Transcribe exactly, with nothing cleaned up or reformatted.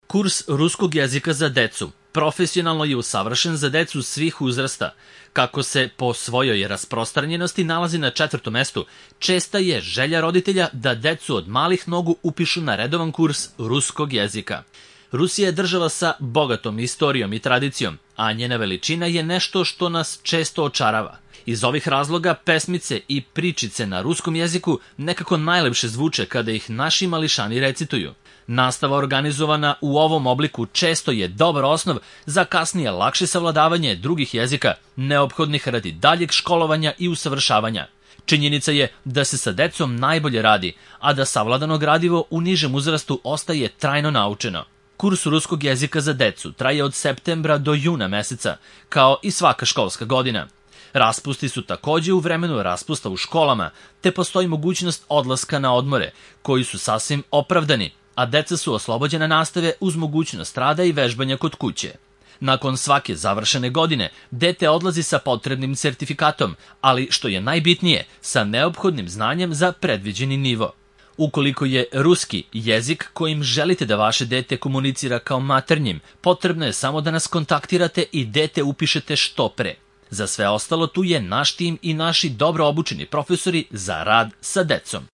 Kurs ruskog jezika za decu profesionalno je usavršen za decu svih uzrasta. Kako se po svojoj rasprostranjenosti nalazi na četvrtom mestu, česta je želja roditelja da decu od malih nogu upišu na redovan kurs ruskog jezika. Rusija je država sa bogatom istorijom i tradicijom, a njena veličina je nešto što nas često očarava. Iz ovih razloga pesmice i pričice na ruskom jeziku nekako najlepše zvuče kada ih naši mališani recituju. Nastava organizovana u ovom obliku često je dobar osnov za kasnije lakše savladavanje drugih jezika, neophodnih radi daljeg školovanja i usavršavanja. Činjenica je da se sa decom najbolje radi, a da savladano gradivo u nižem uzrastu ostaje trajno naučeno. Kurs ruskog jezika za decu traje od septembra do juna meseca, kao i svaka školska godina. Raspusti su takođe u vremenu raspusta u školama, te postoji mogućnost odlaska na odmore, koji su sasvim opravdani, a deca su oslobođena nastave uz mogućnost rada i vežbanja kod kuće. Nakon svake završene godine, dete odlazi sa potrebnim sertifikatom, ali što je najbitnije, sa neophodnim znanjem za predviđeni nivo. Ukoliko je ruski jezik kojim želite da vaše dete komunicira kao maternjim, potrebno je samo da nas kontaktirate i dete upišete što pre. Za sve ostalo tu je naš tim i naši dobro obučeni profesori za rad sa decom.